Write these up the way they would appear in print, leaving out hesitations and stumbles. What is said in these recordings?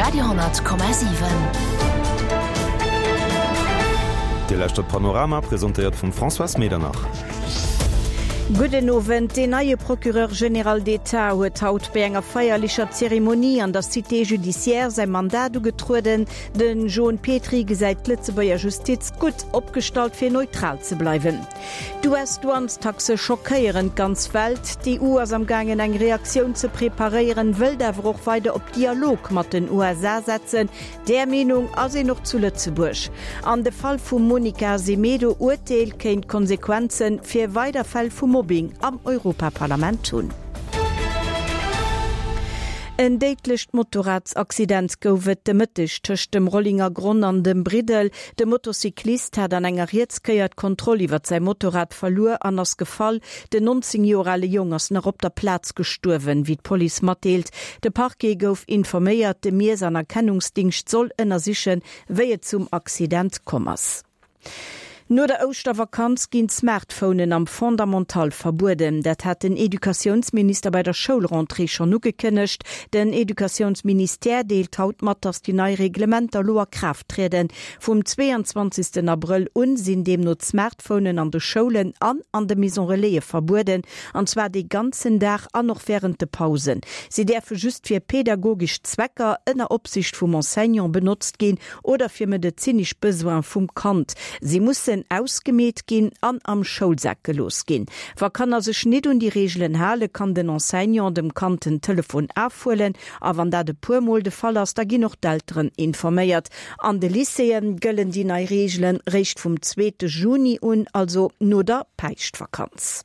Radio,7. Dir lauschtert Panorama, presentéiert vum Françoise Medernach. Gudden Owend. Deen neie Procureur général d'État huet haut bei enger feierlecher Zeremonie an der Cité judiciaire säi Mandat ugetrueden. De Joon Petry gesäit d'Lëtzebuerger Justiz gutt opgestallt fir neutral ze bleiwen. D'US-Douanestaxe schockéieren d'ganz Welt. D'EU ass am gaangen eng Reaktioun ze preparéieren, wëllt awer och weider op Dialog mat den USA setzen. Där Meenung ass een och zu Lëtzebuerg. An de Fall vum Monica Semedo Urteel kéint Konsequenze fir weider Fäll vu Mobbing am Europaparlament hunn. En déidlecht Motorradsaccident gouf et de Mëtteg tëscht dem Rollingergronn an dem Briddel. De Motocyclist hat an enger Rietskéier d'Kontroll iwwert säi Motorrad verluer an ass gefall. Den 19 Joer ale Jong ass nach op der Plaz gestuerwen, wéi d'Police matdeelt. De Parquet gouf informéiert. De Miess an Erkennungsdingscht soll ënnersichen, wéi et zum Accident komm ass. No der Ouschtervakanz ginn d'Smartphonen am Fondamental verbueden. Dat hat den Educatiounsminister bei der Schoulrentrée schonn ugekënnegt. Den Educatiounsministère deelt haut mat, datt déi nei Reglementer elo a Kraaft trieden. Vum 22 Abrëll un sinn deemno d'Smartphonen an de Schoulen an an de Maison Relaise verbueden, an zwar dee ganzen Dag an och wärend de Pausen. Si däerfe just fir pedagogesch Zwecker ënner Opsicht vum Enseignant benotzt ginn oder fir medezinesch Besoine vum Kand. Si mussen ausgemeet ginn an am Schoulsak gelooss ginn. Wa Kanner sech nit un déi Reegelen halen, kann den Enseignant dem Kand den Telefon afhuelen. A wann dat e puer Mol de Fall ass, da ginn och d'Elteren informéiert. An de Lycéeë gëllen déi nei Reegelen réischt vum zweete Juni un, also no der Päischtvakanz.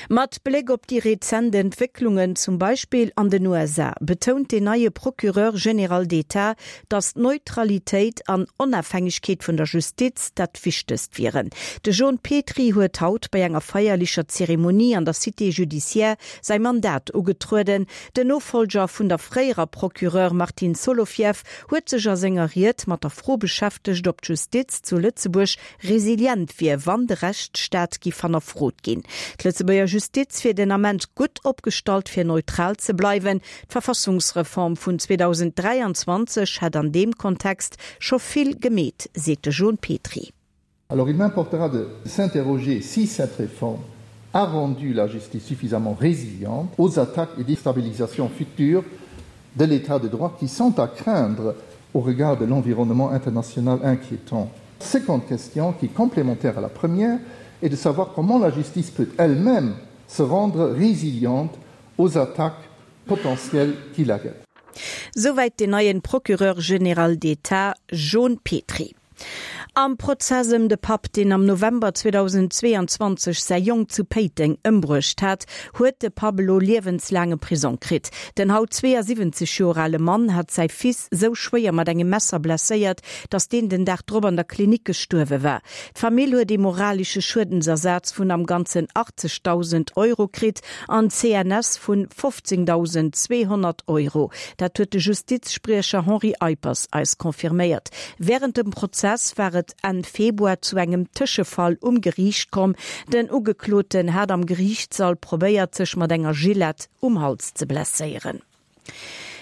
Mat Bléck op déi rezent Entwécklungen, zum Beispill an den USA, betount den neie Procureur général d'État, datt d'Neutralitéit an Onafhängegkeet vun der Justiz dat Wichtegst wieren. De Jon Petry huet haut bei enger feierlecher Zeremonie an der Cité judiciaire säi Mandat ugetrueden. Den Nofollger vun der fréierer Procureur Martine Solovieff huet sech a senger Ried mat der Fro beschäftegt, ob d'Justiz zu Lëtzebuerg resilient wier, wann de Rechtsstaat giff hannerfrot ginn. D'Lëtzebuerger Justiz wier den Ament gutt opgestallt fir neutral ze bleiwen. D'Verfassungsreform vun 2023 hätt an deem Kontext scho vill gemeet, seet de Jon Petry. Alors il m'importera de s'interroger si cette réforme a rendu la justice suffisamment résiliente aux attaques et déstabilisations futures de l'état de droit qui sont à craindre au regard de l'environnement international inquiétant. Seconde question qui est complémentaire à la première est de savoir comment la justice peut elle-même se rendre résiliente aux attaques potentielles qui la guettent. Souwäit den neien Procureur général d'État Jon Petry. Am Prozess ëm de Papp, deen am November 2022 säi Jong zu Péiteng ëmbruecht hat, huet de Papp elo liewenslaange Prisong kritt. Den haut 72 Joer ale Mann hat säi Fils sou schwéier mat engem Messer blesséiert, datt deen den Dag drop an der Klinik gestuerwe war. D'Famill huet ee moralesche Schuedensersaz vun am Ganzen 80.000 Euro kritt an d'CNS vun 15.200 Euro. Dat huet de Justizspriecher Henri Eippers eis confirméiert. Wärend dem Prozess war et Enn Februar zu engem Tëschefall um Geriicht komm. Den Ugekloten hat am Geriichtssall probéiert, sech mat enger Gillette um Hals ze blesséieren.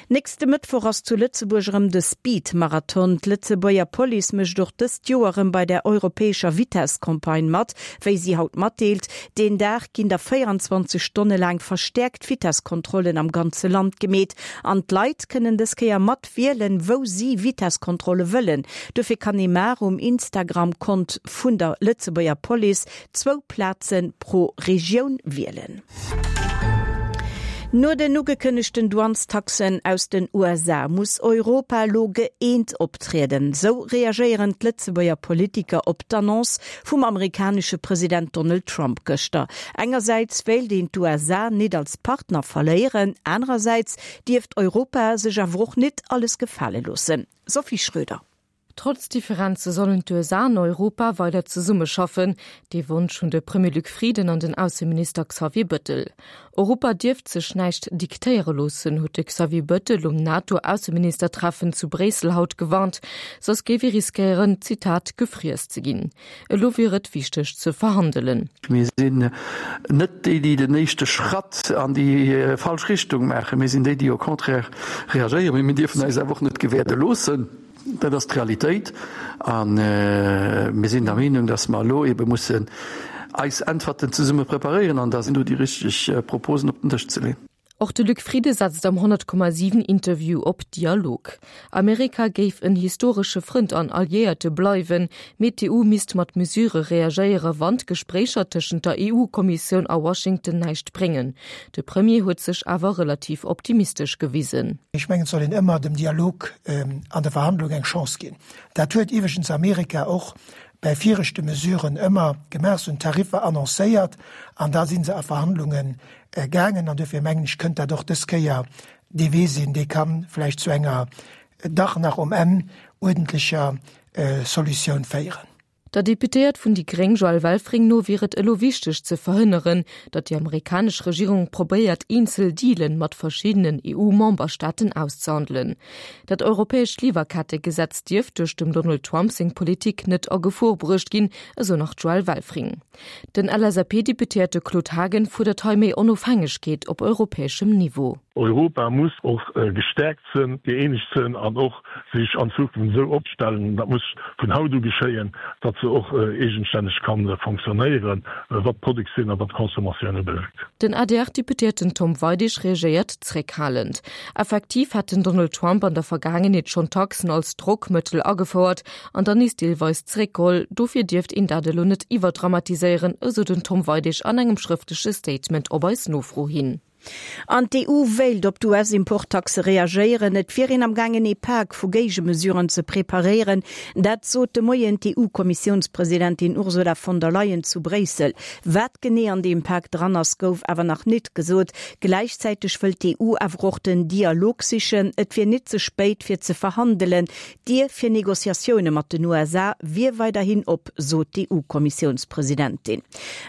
Nächste Mëttwoch ass zu Lëtzebuerg erëm de Speed-Marathon. D'Lëtzebuerger Police mécht och dëst Joer erëm bei der europäescher Vitess-Campagne mat, wéi si haut matdeelt. Deen Dag ginn da 24 Stonne laang verstäerkt Vitesskontrollen am ganze Land gemeet an d'Leit kënnen dës Kéier mat wielen, wou si Vitesskontrolle wëllen. Dofir kann ee mar um Instagram-Kont vun der Lëtzebuerger Police zwou Plaze pro Regioun wielen. No den ugekënnegten Douanestaxen aus den USA muss Europa elo gëeent optrieden. Sou reagéieren d'Lëtzebuerger Politiker op d'Annonce vum amerikanesche President Donald Trump gëschter. Engersäits wéilt een d'USA nit als Partner verléieren, anerersäits dierft Europa sech awer och nit alles gefale loossen. Sophie Schröder. Trotz Differenze sollen d'USA an Europa weider zesummeschaffen. Dee Wonsch hunn de Premier Luc Frieden an den Ausseminister Xavier Bëttel. Europa dierft sech näischt diktéiere loossen, huet de Xavier Bëttel um NATO-Ausseministertreffen zu Bréissel haut gewarnt. Soss géif ee riskéieren, Zitat, gefriess ze ginn. Elo wier et wichteg ze verhandelen. Mir sinn net déi, déi den éischte Schratt an déi falsch Richtung maachen. Mir sinn déi, déi au contraire reagéieren. Mee mir dierfen eis awer och net gewäerde loossen. Dat ass d'Realitéit. A mir sinn der Meenung, dass mer elo eebe mussen eis Äntwerten zesumme preparéieren an da sinn do déi richteg Proposen op den Dësch ze leeën. Och de Luc Frieden setzt am 100,7 Interview op Dialog. Amerika géif en historesche Frënd an Alliéierte bleiwen, mee d'EU misst mat Mesure reagéiere wann d'Gespréicher tëschent der EU-Kommissioun a Washington näischt bréngen. De Premier huet sech awer relativ optimistesch gewisen. Ech mengen, et soll een ëmmer dem Dialog an der Verhandlung eng Chance ginn. Dat huet iwweregens Amerika och bäi viregte Mesuren ëmmer gemaach. Se hunn Tariffer annoncéiert an da si se a Verhandlunge gaangen. An duerfir mengen ech, kënnt dat och dës Kéier dee Wee sinn, dee ka vläicht zu enger dach nach um Enn uerdentlecher Solutioun féieren. Der Deputéiert vun déi gréng Joëlle Welfring no wier et elo wichteg ze verhënneren, datt déi amerikanesch Regierung probéiert eenzel Dealen mat verschiddenen EU-Memberstaaten auszehandelen. Dat europäescht Liwwerkettegesetz dierft duerch dem Donald Trump seng Politik net a Gefor bruecht ginn, esou nach d'Joëlle Welfring. Den LSAP-Deputéierte Claude Haagen fuerdert hei méi Onofhängegkeet op europäeschem Niveau. Europa muss och gestäerkt sënn, gëeenegt sënn an och sech an Zukunft esou opstellen, dat muss vun haut u geschéien, datt se och eegenstänneg ka fonctionnéieren, wat d'Produktioun a wat d'Consommatioun ubelaangt. Den ADR-Deputéierten Tom Weidig reagéiert zréckhalend. Effektiv hätt den Donald Trump an der Vergaangenheet schonn Taxen als Drockmëttel agefouert an dann nees deelweis zeréckgeholl. Dofir dierft een dat elo net iwwerdramatiséieren, esou den Tom Weidig an engem schrëftleche Statement op eis Nofro hin. An d'EU wéilt op d'US-Importtaxe reagéieren. Et wier een am gaangen ee Pak vu Géigemesuren ze preparéieren. Dat sot de Moien d'EU-Kommissiounspresidentin Ursula von der Leyen zu Bréissel. Wat genee an deem Pak dran ass, gouf awer nach nit gesot. Gläichzäiteg wëllt d'EU awer och den Dialog sichen. Et wier nit ze spéit fir ze verhandelen. D'Dier fir Negociatioune mat den USA wier weiderhin op, sot d'EU-Kommissiounspresidentin.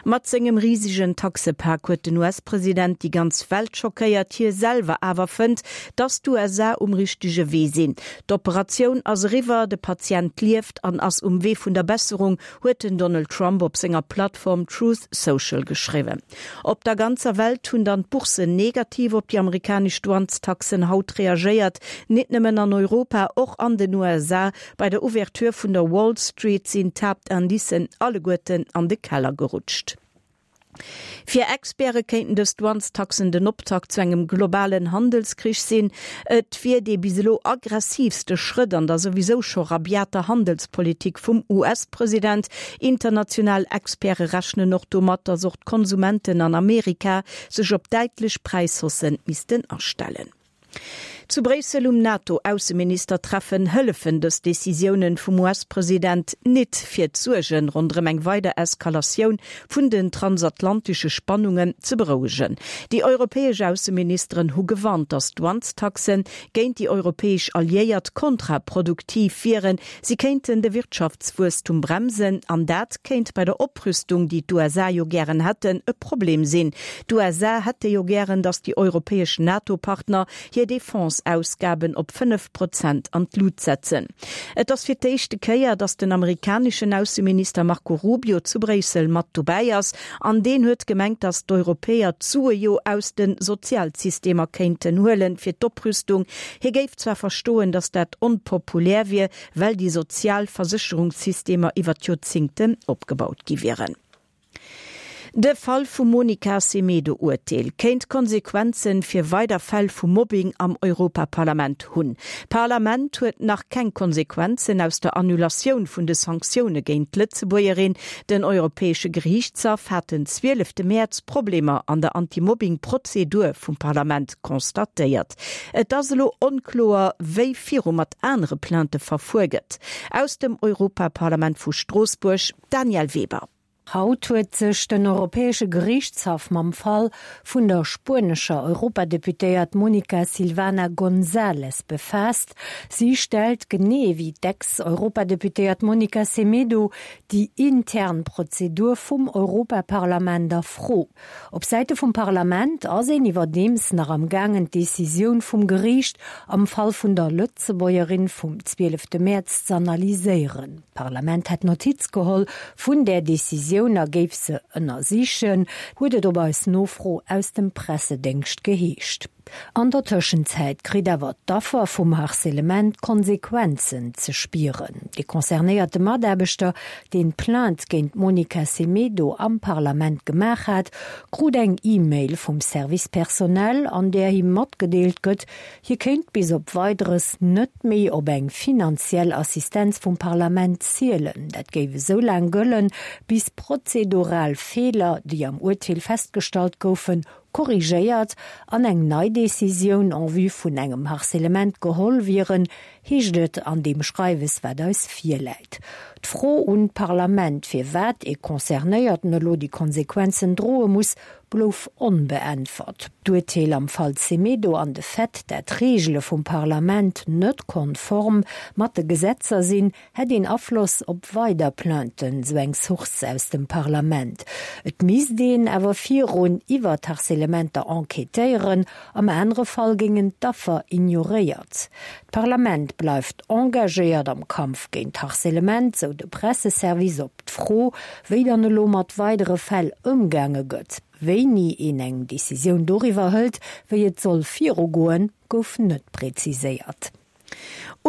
Mat sengem risegen Taxepak huet den US-President déi ganz Welt schockéiert. Hie selwer awer fënnt, datt d'USA um richtege Wee sinn. D'Operatioun ass eriwwer, de Patient lieft an ass um Wee vun der Besserung, huet den Donald Trump op senger Plattform Truth Social geschriwwen. Op der ganzer Welt hunn dann d'Bourssen negativ op déi amerikanesch Douanestaxen haut reagéiert. Nit nëmmen an Europa, och an den USA. Bei der Ouverture vun der Wall Street sinn d'Haaptindicen alleguerten an de Keller gerutscht. Fir Experte kéinten dës Douanestaxen den Optakt zu engem globalen Handelskrich sinn. Et wier dee bis elo aggressiivste Schrëtt an der souwisou scho rabiater Handelspolitik vum US-President. International Experte rechnen och domat, datt och d'Konsumenten an Amerika sech op däitlech Präishaussen missten astellen. Zu Bréissel um NATO-Ausseministertreffen hëllefen dës Decisiounen vum US-President nit, fir d'Suerge ronderëm eng weider Eskalatioun vun den transatlantesche Spannungen ze berouegen. Déi europäesch Ausseministeren hu gewarnt, datt d'Douanestaxe géint déi europäesch Alliéiert kontraproduktiv wieren. Si kéinten de Wirtschaftswuesstum bremsen an dat kéint bei der Oprüstung, déi d'USA jo gären hätten, e Problem sinn. D'USA hätte jo gären, datt déi europäesch NATO-Partner hir Defense-Ausgaben op 5 Prozent an d'Lut setzen. Et ass fir d'éischte Kéier, datt den amerikaneschen Ausseminister Marco Rubio zu Bréissel mat dobäi ass an deen huet gemengt, datt d'Europäer d'Sue jo aus de Sozialsystemer kéinten huelen fir d'Oprüstung. Hie géif zwar verstoen, datt dat onpopulär wier, well déi sozial Versécherungssystemer iwwer d'Joerzingten opgebaut gi wieren. De Fall vum Monica Semedo-Urteel kéint Konsequenze fir weider Fäll vu Mobbing am Europaparlament hunn. D'Parlament huet nach keng Konsequenzen aus der Annulatioun vun de Sanktioune géint d'Lëtzebuergerin. Den Europäesche Geriichtshaff hat den 12 Mäerz Problemer an der Anti-Mobbing-Prozedur vum Parlament constatéiert. Et ass elo onkloer, wéi viru mat anere Plainte verfuer gëtt. Aus dem Europaparlament vu Stroossbuerg, d'Danièle Weber. Haut huet sech den Europäesche Geriichtshaff mam Fall vun der spuenescher Europadeputéiert Monica Silvana González befaasst. Si stellt, genee wéi d'Ex-Europadeputéiert Monica Semedo, déi intern Prozedur vum Europaparlament a Fro. Op Säite vum Parlament ass een iwwerdeems nach am gaangen d'Decisioun vum Geriicht am Fall vun der Lëtzebuergerin vum 12 Mäerz z'analyséieren. D'Parlament hätt Notiz geholl vun där Decisioun a géif se ënnersichen, huet et op eis Nofro aus dem Pressedéngscht geheescht. An der Tëschenzäit kritt awer d'Affer vum Harcèlement d'Konsequenzen ze spieren. De concernéierte Mataarbechter, deen d'Plainte géint d'Monica Semedo am Parlament gemaach hat, krut eng E-Mail vum Service Personnel, an där him matgedeelt gëtt, hie kéint bis op Weideres net méi op eng finanziell Assistenz vum Parlament zielen. Dat géif esou laang gëllen, bis prozedural Feeler, déi am Urteel festgestallt goufen, korrigéiert an eng nei Decisioun en vue vun engem Harcèlement geholl wieren, heescht et an deem Schreiwes, wat eis virläit. D'Fro un d'Parlament, firwat ee Concernéierten elo déi Konsequenzen droe muss, blouf onbeäntwert. D'Urteel am Fall Semedo an de Fait, dat d'Reegele vum Parlament net konform mat de Gesetzer sinn, hätt een Afloss op weider Plainten, sou eng Source aus dem Parlament. Et misst een awer virun iwwer d'Harcèlementer enquêtéieren, am anere Fall géingen d'Affer ignoréiert. D'Parlament bleift engagéiert am Kampf géint d'Harcèlement, sou de Presseservice op d'Fro, wéi dann elo mat weidere Fäll ëmgaange gëtt. Wéini een eng Decisioun doriwwer hëlt, wéi et soll virugoen, gouf net preziséiert.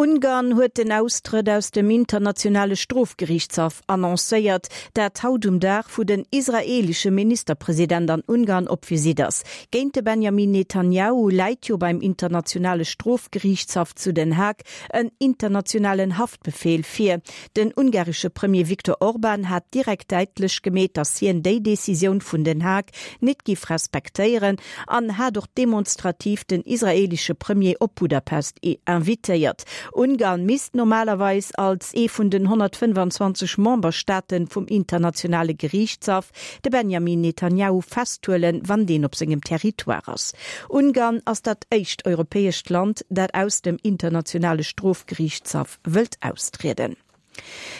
Ungarn huet den Austrëtt aus dem Internationale Strofgeriichtshaff annoncéiert, dat haut um Dag, wou den israeelesche Ministerpresident an Ungarn op Visitt ass. Géint de Benjamin Netanjahu läit jo beim Internationale Strofgeriichtshaff zu Den Haag en internationalen Haftbefeel vir. Den ungaresche Premier Viktor Orban hat direkt däitlech gemeet, datt hien déi Decisioun vun Den Haag nit giff respektéieren an hat och demonstrativ den israelische Premier op Budapest invitéiert. Ungarn misst normalerweis als ee vun den 125 Memberstaaten vum internationale Geriichtshaff de Benjamin Netanjahu festhuelen, wann deen op sengem Territoire ass. Ungarn ass dat éischt europäescht Land, dat aus dem internationale Strofgeriichtshaff wëllt austrieden.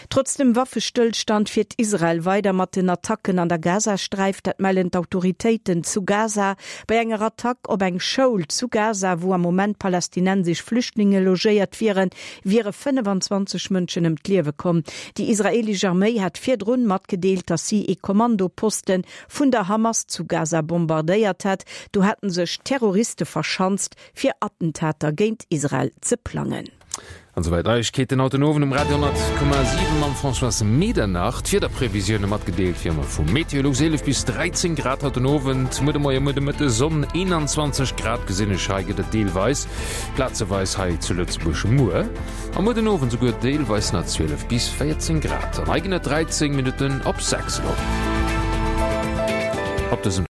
Trotz dem Waffestëllstand fiert Israel weider mat den Attacken an der Gazasträif. Dat mellen d'Autoritéiten zu Gaza. Bei enger Attack op eng Schoul zu Gaza, wou am Moment palästinensesch Flüchtlinge logéiert wieren, wiere 25 Mënschen ëm d'Liewe komm. Déi israeelesch Arméi hat virdrun matgedeelt, datt si ee Kommandoposte vun der Hamas zu Gaza bombardéiert hätt. Do hätte sech Terroriste verschanzt, fir Attentater géint Israel ze plangen. An souwäit Neiegkeeten haut den Owend um Radio 10,7 mam Françoise Medernach. D'Wiederprevisioune matgedeelt wéi ëmmer vu Meteolux, 11 bis 13 Grad haut den Owend, muer de Moie, muer de Mëtte Sonn, 21 Grad gesinn ech hei, gëtt et deelweis, plazeweis hei zu Lëtzebuerg muer a muer den Owend souguer deelweis nach 12 bis 14 Grad. An hei ginn et 13 Minutten op 6 elo op dësem.